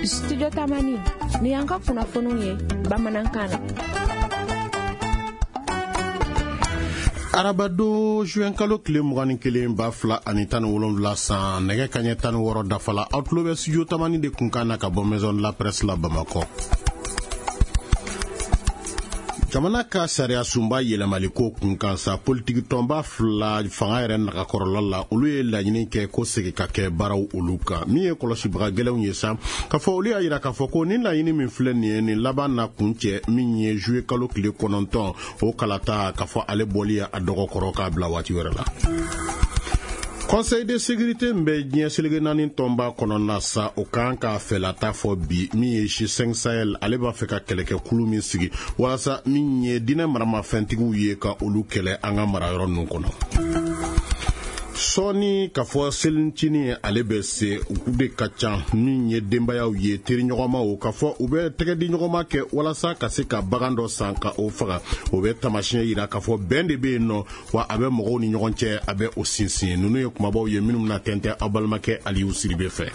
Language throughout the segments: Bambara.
Studio Tamani, ni y'an ka kunnafoniw ye bamanankan na. Arabadon juin kalo tile 21 2017 san, nɛgɛ kaɲɛ 16 dafala, aw tulo bɛ Studio Tamani de kunkan na ka bɔ Maison de la Presse la Bamakɔ. Jamana ka sariya sunba yɛlɛmaliko kun kan sa, politiki tɔnba fila fanga yɛrɛ nagakɔrɔla la, olu ye laɲini kɛ ko segin ka kɛ baaraw olu kan. Min ye kɔlɔsibaga gɛlɛnw ye sa, k'a fɔ olu y'a yira k'a fɔ ko nin laɲini min filɛ nin ye, nin laban na kuncɛ min ye juillet kalo tile 9 o kalata, k'a fɔ ale bɔli a dɔgɔkɔrɔ k'a bila waati wɛrɛ la. Conseil de sécurité min bɛ diɲɛ seleke naani tɔnba kɔnɔna sa, o kan k'a fɛlata fɔ bi. Min ye G5 Sahel, ale b'a fɛ ka kɛlɛkɛkulu min sigi walasa min ye diinɛ maramafɛntigiw ye ka olu kɛlɛ an ka marayɔrɔ ninnu kɔnɔ. Sɔɔni k'a fɔ selincinin ale bɛ se, u de ka ca min ye denbayaw ye, teriɲɔgɔnmaw, k'a fɔ u bɛ tɛgɛdiɲɔgɔnma kɛ walasa ka se ka bagan dɔ san ka o faga. O bɛ taamasiyɛn yira k'a fɔ bɛn de bɛ yen nɔ, wa a bɛ mɔgɔw ni ɲɔgɔn cɛ, a bɛ o sinsin. Ninnu ye kumabaw ye minnu bɛna tɛntɛn aw balimakɛ Aliyu Siribe fɛ.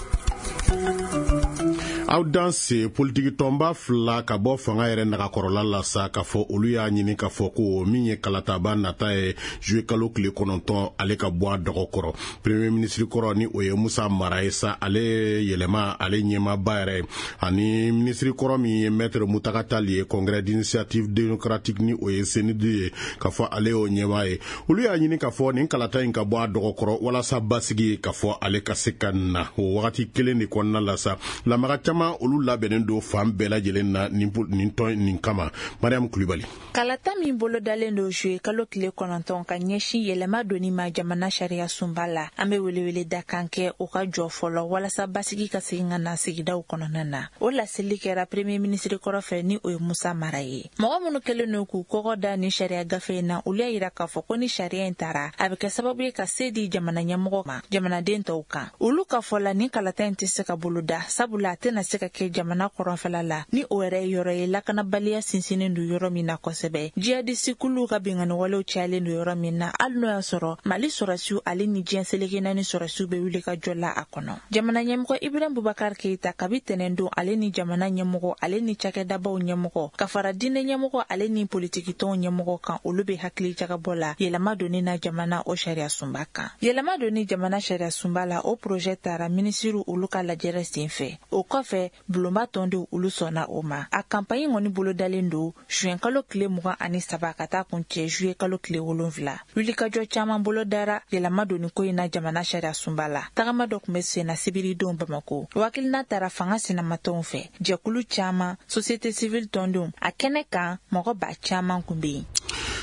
Aw danse. Politiki tɔnba fila ka bɔ fanga yɛrɛ nagakɔrɔla la sa, k'a fɔ olu y'a ɲini k'a fɔ ko min ye kalataba nata ye juillet kalo tile 9, ale ka bɔ a dɔgɔkɔrɔ. Premier ministre kɔrɔ, ni o ye Musa Mara ye sa, ale yɛlɛma ale ɲɛmaaba yɛrɛ, ani ministre kɔrɔ min ye maître Mutaga Tall ye, Congrès d'initiative démocratique, ni o ye CNID ye, k'a fɔ ale y'o ɲɛmaa ye, olu y'a ɲini k'a fɔ nin kalata in ka bɔ a dɔgɔkɔrɔ walasa basigi, k'a fɔ ale ka se ka na. O wagati kelen de kɔnɔna la sa, lamaga caman olu labɛnnen don fan bɛɛ lajɛlen na nin tɔn nin kama. Mariam Kulibali. Kalata min bolodalen don juillet kalo tile 9 ka ɲɛsin yɛlɛma donni ma jamana sariya sunba la, an bɛ welewele da kan kɛ o ka jɔ fɔlɔ walasa basigi ka segin ka na sigidaw kɔnɔna na. O laseli kɛra premier ministre kɔrɔ fɛ, ni o ye Musa Mara ye. Mɔgɔ minnu kɛlen don k'u kɔgɔ da nin sariya gafe in na, olu y'a yira k'a fɔ ko ni sariya in tara, a bɛ kɛ sababu ye ka se di jamana ɲɛmɔgɔ ma jamanaden tɔw kan. Olu ka fɔ la, nin kalata in tɛ se ka boloda, sabula a tɛna se ka kɛ jamana kɔrɔnfɛla la, ni o yɛrɛ ye yɔrɔ ye lakanabaliya sinsinnen don yɔrɔ min na kosɛbɛ, jihadisi kuluw ka binkanni walew cayalen don yɔrɔ min na, hali n'o y'a sɔrɔ Mali sɔrɔsiw ale ni diɲɛ seleke naani sɔrɔsiw bɛ wuli ka jɔ la a kɔnɔ. Jamana ɲɛmɔgɔ Ibrahim Bubakar Keyita, kabi tɛnɛn don, ale ni jamana ɲɛmɔgɔ ale ni cakɛdabaw ɲɛmɔgɔ ka fara diinɛ ɲɛmɔgɔ ale ni politikitɔnw ɲɛmɔgɔ kan, olu bɛ hakili jagabɔ la yɛlɛma donni na jamana o sariya sunba kan. Yɛlɛma donni jamana sariya sunba la, o projet tara minisiriw olu ka lajɛrɛ sen fɛ. O kɔfɛ, bulonba tɔndenw olu sɔnna o ma. A kanpaɲi kɔni bolodalen don juin kalo tile 23 ka taa kuncɛ juillet kalo tile 7. Wulikajɔ caman bolodara yɛlɛma donni ko in na jamana sariya sunba la. Tagama dɔ tun bɛ senna sibiridon Bamako. O hakilina tara fanga sinamatɔnw fɛ, jɛkulu caman, société civile tɔndenw. A kɛnɛ kan, mɔgɔ ba caman kun bɛ yen.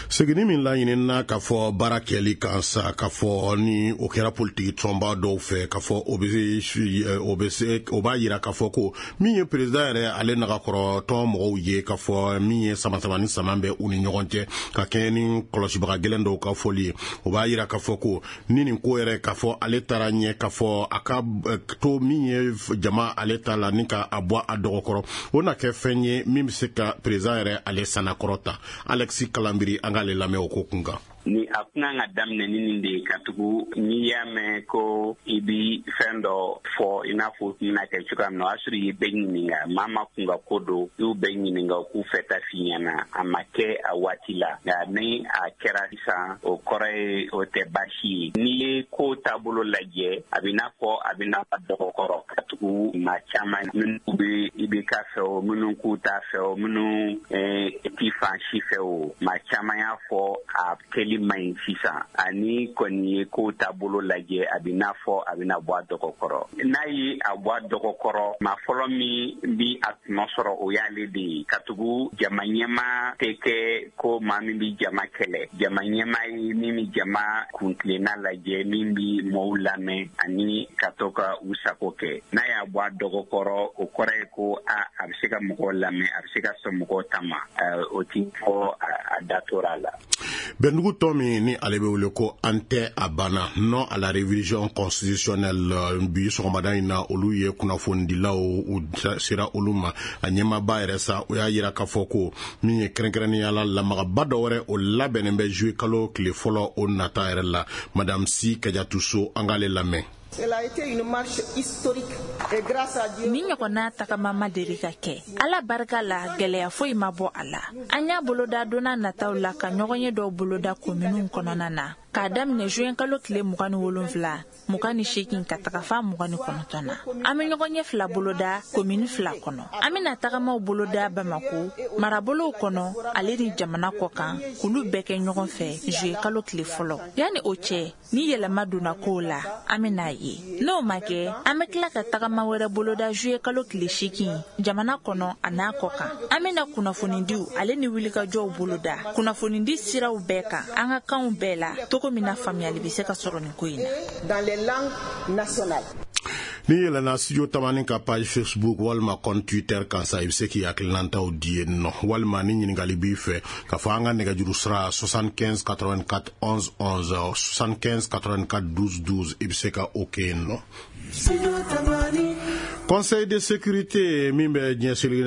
Seginni min laɲinina k'a fɔ baara kɛli kan sa, k'a fɔ ni o kɛra politiki tɔnba dɔw fɛ, k'a fɔ o bɛ se, o b'a yira k'a fɔ ko min ye président yɛrɛ ale nagakɔrɔ tɔn mɔgɔw ye, k'a fɔ min ye sama-sama ni sama bɛ u ni ɲɔgɔn cɛ, ka kɛɲɛ ni kɔlɔsibaga gɛlɛn dɔw ka fɔli ye, o b'a yira k'a fɔ ko ni nin ko yɛrɛ, k'a fɔ ale taara ɲɛ, k'a fɔ a ka to min ye jama ale ta la ni ka a bɔ a dɔgɔkɔrɔ, o na kɛ fɛn ye min bɛ se ka président yɛrɛ ale sanakɔrɔ ta. Alexis Kalambiri, an k'ale lamɛn o ko kun kan. Ni a kun kan ka daminɛ ni nin de ye, ka tugu n'i y'a mɛn ko i bi fɛn dɔ fɔ, i n'a fɔ o tun bɛna kɛ cogoya min na, o y'a sɔrɔ i ye bɛɛ ɲininka. Maa ma kun ka ko don, i y'u bɛɛ ɲininka, u k'u fɛta f'i ɲɛna. A ma kɛ a waati la, nka ni a kɛra sisan, o kɔrɔ ye o tɛ baasi ye. N'i ye ko taabolo lajɛ, a bɛ n'a fɔ a bɛ n'a dɔgɔkɔrɔ, ka tugu maa caman minnu bɛ IBK fɛ o, minnu k'u t'a fɛ o, minnu ti fan si fɛ o, maa caman y'a fɔ a kɛli man ɲi sisan. Ani kɔni ye ko taabolo lajɛ, a bɛ n'a fɔ a bɛna bɔ a dɔgɔkɔrɔ. N'a ye a bɔ a dɔgɔkɔrɔ, maa fɔlɔ min bi a tɔnɔ sɔrɔ, o y'ale de ye, katugu jama ɲɛma tɛ kɛ ko maa min bi jama kɛlɛ. Jama ɲɛma ye min bɛ jama kuntilenna lajɛ, min bi mɔɔw lamɛn ani ka to ka u sago kɛ. N'a y'a bɔ a dɔgɔkɔrɔ, o kɔrɔ ye ko a bɛ se ka mɔgɔw lamɛn, a bɛ se ka sɔn mɔgɔw ta ma. O ti fɔ a da tora a la. Bɛndugu tɔn min ni ale bɛ wele ko An tɛ a banna, non à la révision constitutionnelle, bi sɔgɔmada in na, olu ye kunnafonidilaw u sera olu ma. A ɲɛmaaba yɛrɛ sa, o y'a yira k'a fɔ ko min ye kɛrɛnkɛrɛnnenya la lamagaba dɔ wɛrɛ, o labɛnnen bɛ juillet kalo tile 1 o nata yɛrɛ la. Madame Si Kajatu So, an k'ale lamɛn. Ni ɲɔgɔnna tagama ma deli ka kɛ. Ala barika la, gɛlɛya foyi ma bɔ a la. An y'a boloda donna nataw la ka ɲɔgɔn ye dɔw boloda kominiw kɔnɔna na, k'a daminɛ juin kalo tile 27, 28 ka taga fa 29 na. An bɛ ɲɔgɔn ɲɛ fila boloda komini fila kɔnɔ. An bɛna tagamaw boloda Bamako marabolow kɔnɔ ale ni jamana kɔ kan, k'olu bɛɛ kɛ ɲɔgɔn fɛ juillet kalo tile 1. Yanni o cɛ, ni yɛlɛma donna kow la, an bɛna ye. N'o ma kɛ, an bɛ tila ka tagama wɛrɛ boloda juillet kalo tile 8 jamana kɔnɔ a n'a kɔ kan. An bɛna kunnafonidiw ale ni wulikajɔw boloda kunnafonidi siraw bɛɛ kan, an ka kanw bɛɛ la, cogo min na faamuyali bɛ se ka sɔrɔ nin ko in na. N'i yɛlɛnna Studio Tamani ka page Facebook walima compte Twitter kan sa, i bɛ se k'i hakilinataw di yen nɔ, walima ni ɲininkali b'i fɛ k'a fɔ, an ka nɛgɛjuru sira 75 84 11 11, 75 84 12 12, i bɛ se ka o kɛ yen nɔ. Conseil de sécurité min bɛ diɲɛ seleke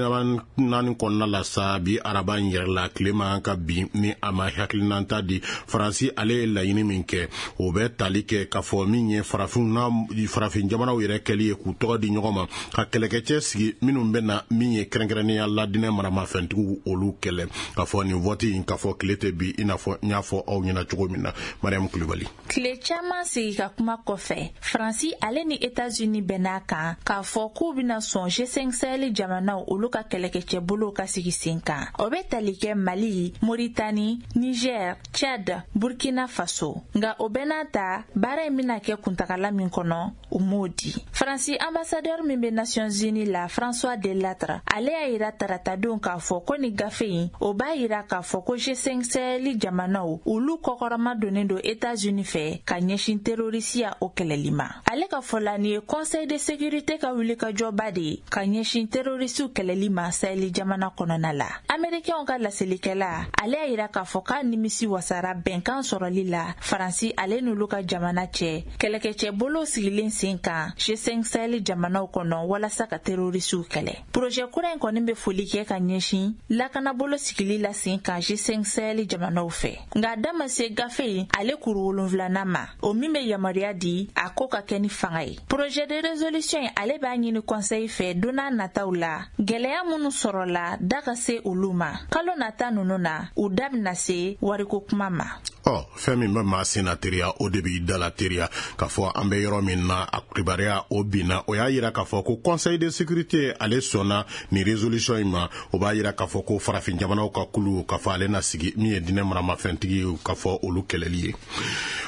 naani kɔnɔna la sa, bi araba in yɛrɛ la, tile man ka bin ni a ma hakilinata di. Faransi ale ye laɲini min kɛ, o bɛ tali kɛ k'a fɔ min ye farafin na, farafin jamanaw yɛrɛ kɛli ye k'u tɔgɔ di ɲɔgɔn ma, ka kɛlɛkɛcɛ sigi minnu bɛ na min ye kɛrɛnkɛrɛnnenya la dinɛ maramafɛntigiw olu kɛlɛ. K'a fɔ nin vote in, k'a fɔ tile tɛ bi, i n'a fɔ n y'a fɔ aw ɲɛna cogo min na, Mariam Kulibali. Tile caman sigi ka kuma kɔfɛ, Faransi ale ni Etats-Unis bɛnn'a kan k'a fɔ k'u bɛna sɔn G5 Sahel jamanaw olu ka kɛlɛkɛcɛbolow ka sigi sen kan. O bɛ tali kɛ Mali, Moritani, Niger, Chad, Burkina Faso. Nka o bɛɛ n'a ta, baara in bɛna kɛ kuntagala min kɔnɔ, u m'o di. Faransi ambassadeur min bɛ Nations Unies la, François Delattre, ale y'a yira taratadon k'a fɔ ko ni gafe in, o b'a yira k'a fɔ ko G5 Sahel jamanaw olu kɔkɔrɔma donnen don Etats-Unis fɛ ka ɲɛsin terrorisiya o kɛlɛli ma. Ale ka fɔ la, nin ye Conseil de sécurité ka wulikajɔba de ye ka ɲɛsin terrorisiw kɛlɛli ma Sahel jamana kɔnɔna la. Américainw ka laselikɛla, ale y'a yira k'a fɔ k'a nimisi wasara bɛnkan sɔrɔli la Faransi ale n'olu ka jamana cɛ, kɛlɛkɛcɛ bolow sigilen sen kan G5 Sahel jamanaw kɔnɔ walasa ka terrorisiw kɛlɛ. Projet kura in kɔni bɛ foli kɛ ka ɲɛsin lakanabolo sigili la sen kan G5 Sahel jamanaw fɛ. Nka a da ma se gafe in ale kuru wolonfilanan ma, o min bɛ yamaruya di a ko ka kɛ ni fanga ye. Projet de résolution in, ale b'a ɲini conseil fɛ don n'a nataw la, gɛlɛya minnu sɔrɔla, da ka se olu ma. Kalo nata ninnu na, u da bɛna se wariko kuma ma. Ɔ, fɛn min bɛ maa sen na teriya, o de b'i da la teriya. K'a fɔ an bɛ yɔrɔ min na, a kibaruya o binna, o y'a yira k'a fɔ ko Conseil de sécurité ale sɔnna nin résolution in ma. O b'a yira k'a fɔ ko farafin jamanaw ka kulu, k'a fɔ ale na sigi min ye dinɛ maramafɛntigi, k'a fɔ olu kɛlɛli ye.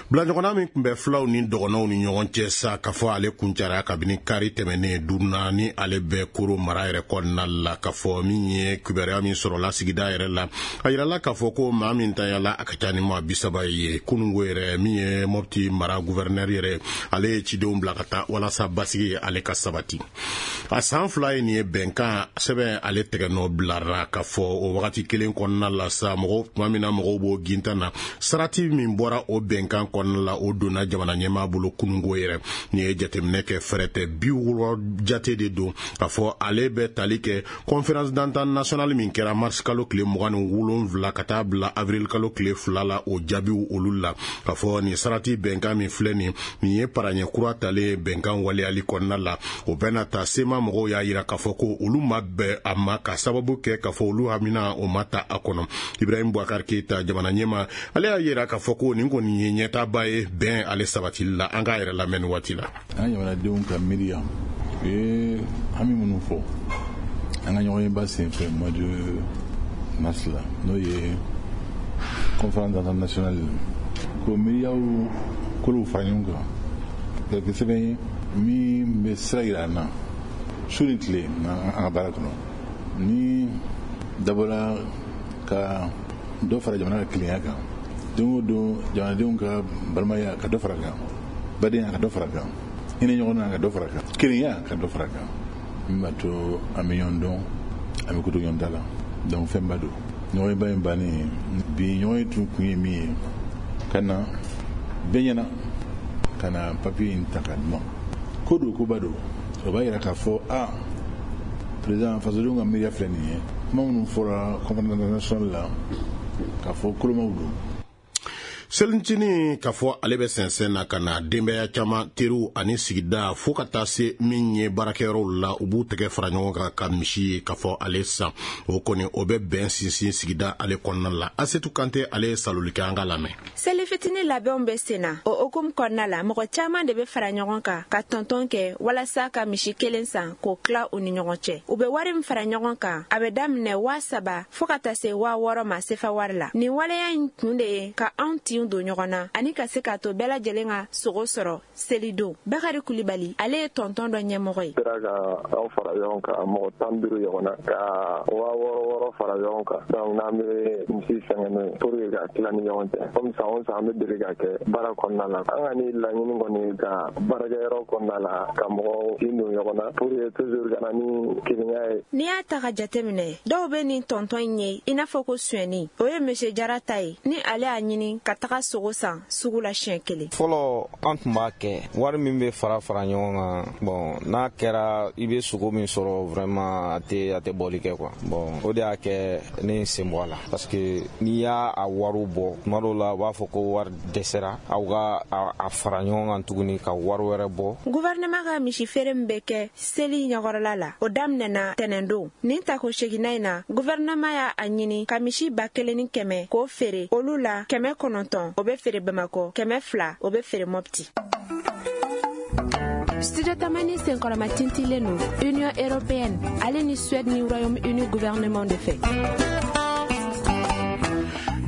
Bilaɲɔgɔnna min tun bɛ filaw ni dɔgɔnɔw ni ɲɔgɔn cɛ sa, k'a fɔ ale kuncɛra kabini kari tɛmɛnen duurunan ni ale bɛ Koro mara yɛrɛ kɔnɔna la. K'a fɔ min ye kibaruya min sɔrɔla sigida yɛrɛ la, a yirala k'a fɔ ko maa min tanyala, a ka ca ni maa 30 ye. Kunungo yɛrɛ, min ye Mɔpti mara gouverneur yɛrɛ, ale ye cidenw bila ka taa walasa basigi ale ka sabati. A san 2 ye nin ye, bɛnkan sɛbɛn ale tɛgɛ nɔ bilara. K'a fɔ o wagati kelen kɔnɔna la sa, mɔgɔw tuma min na mɔgɔw b'o gintan na, sarati min bɔra o bɛnkan kɔnɔna la, o donna jamana ɲɛmaa bolo kunungo yɛrɛ. Nin ye jateminɛ kɛ, fɛrɛ tɛ, 60 jate de don. K'a fɔ ale bɛ tali kɛ conférence d'entente nationale min kɛra mars kalo tile 27 ka taa bila avril kalo tile 2 la, o jaabiw olu la. K'a fɔ nin sarati bɛnkan min filɛ nin, nin ye paraɲɛ kura talen bɛnkan waleyali kɔnɔna la. O bɛna ta sema mɔgɔw y'a yira k'a fɔ ko olu ma bɛn a ma, ka sababu kɛ k'a fɔ olu hamina o ma ta a kɔnɔ. Ibrahim Boubacar Keita, jamana ɲɛma, ale y'a yira k'a fɔ ko nin kɔni ye ɲɛtaaba ye bɛn ale sabatili la. An k'a yɛrɛ lamɛn nin waati la. An jamanadenw ka miiriya, u ye hami minnu fɔ an ka ɲɔgɔnyeba senfɛ mois de mars la, n'o ye conférence d'entente nationale, ko miiriyaw kolow fara ɲɔgɔn kan ka kɛ sɛbɛn ye min bɛ sira yira an na su ni tile an ka baara kɔnɔ, ni dabɔra ka dɔ fara jamana ka kelenya kan, don o don jamanadenw ka balimaya ka dɔ fara kan, badenya ka dɔ fara kan, hinɛ ɲɔgɔn na ka dɔ fara kan, kelenya ka dɔ fara kan, min b'a to an bɛ ɲɔgɔn dɔn, an bɛ ko to ɲɔgɔn da la. Donc fɛnba don. Ɲɔgɔnyeba in bannen bi, ɲɔgɔn tun kun ye min ye, ka na bɛɛ ɲɛna ka na papiye in ta ka di ma. Ko don, koba don. O b'a yira k'a fɔ a président, fasodenw ka miiriya filɛ nin ye, kuma minnu fɔra conférence nationale la, k'a fɔ kolomaw don. Selicinin k'a fɔ ale bɛ sɛnsɛn na ka na, denbaya caman, teriw ani sigida, fo ka taa se min ye baarakɛyɔrɔw la, u b'u tɛgɛ fara ɲɔgɔn kan ka misi ye k'a fɔ ale san. O kɔni, o bɛ bɛn sinsin sigida ale kɔnɔna la. Asetu Kante, ale ye saloli kɛ, an ka lamɛn. Seli fitini labɛnw bɛ sen na. O hukumu kɔnɔna la, mɔgɔ caman de bɛ fara ɲɔgɔn kan ka tɔntɔn kɛ walasa ka misi kelen san k'o tila u ni ɲɔgɔn cɛ. U bɛ wari min fara ɲɔgɔn kan, a bɛ daminɛ 3000 fo ka taa se 6000 ma sefa wari la. Nin waleya in kun de ye ka anw tinw don ɲɔgɔn na ani ka se k'a to bɛɛ lajɛlen ka sogo sɔrɔ selidon. Bakari Kulibali, ale ye tɔntɔn dɔ ɲɛmɔgɔ ye. Sera ka anw fara ɲɔgɔn kan, mɔgɔ 15 ɲɔgɔn na, ka 6000 fara ɲɔgɔn kan. Donc n'an bɛ misi fɛngɛ n'o ye pour que ka tila ni ɲɔgɔn cɛ, comme san o san an bɛ deli ka kɛ baara kɔnɔna la. An ka ni laɲini kɔni, ka baarakɛyɔrɔ kɔnɔna la, ka mɔgɔw tin don ɲɔgɔn na pour que toujours ka na ni kelenya ye. N'i y'a ta ka jateminɛ, dɔw bɛ nin tɔntɔn in ye i n'a fɔ ko sonyɛni. O ye Monsieur Jara ta ye, ni ale y'a ɲini ka taga sogo san sugu la siɲɛ kelen. Fɔlɔ, an tun b'a kɛ, wari min bɛ fara fara ɲɔgɔn kan, bon, n'a kɛra i bɛ sogo min sɔrɔ, vraiment a tɛ bɔli kɛ quoi. Bon, o de y'a kɛ ne ye sen bɔ a la, parce que n'i y'a a wariw bɔ, tuma dɔw la u b'a fɔ ko wari dɛsɛra, aw ka a fara ɲɔgɔn kan tuguni ka wari wɛrɛ bɔ. Gouvernement ka misi feere min bɛ kɛ seli ɲɛkɔrɔla la, o daminɛna tɛnɛndon. Nin tako seginna in na, gouvernement y'a a ɲini ka misi 1100 k'o feere. Olu la, 900, o bɛ feere Bamakɔ, 200, o bɛ feere Mɔpti. Studio Tamani senkɔrɔma tintilen don Union européenne ale ni Suède ni Royaume uni gouvernement de fɛ.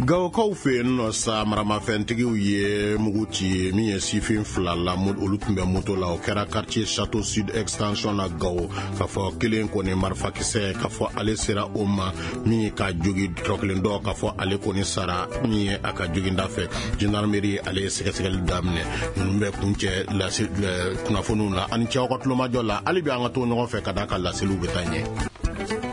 Gawokaw fɛ yen nɔ sa, maramafɛntigiw ye mugu ci min ye sifin fila la, olu tun bɛ moto la. O kɛra quartier Château Sud Extension na Gawo. K'a fɔ kelen kɔni, marifakisɛ k'a fɔ ale sera o ma min ka jogi tɔ kelen dɔ, k'a fɔ ale kɔni sara min ye a ka joginda fɛ. Gendarmerie, ale ye sɛgɛsɛgɛli daminɛ. Ninnu bɛ kuncɛ lase kunnafoniw la. Ani cɛw ka tulomajɔ la, hali bi an ka to ɲɔgɔn fɛ ka da ka laseliw bɛ taa ɲɛ.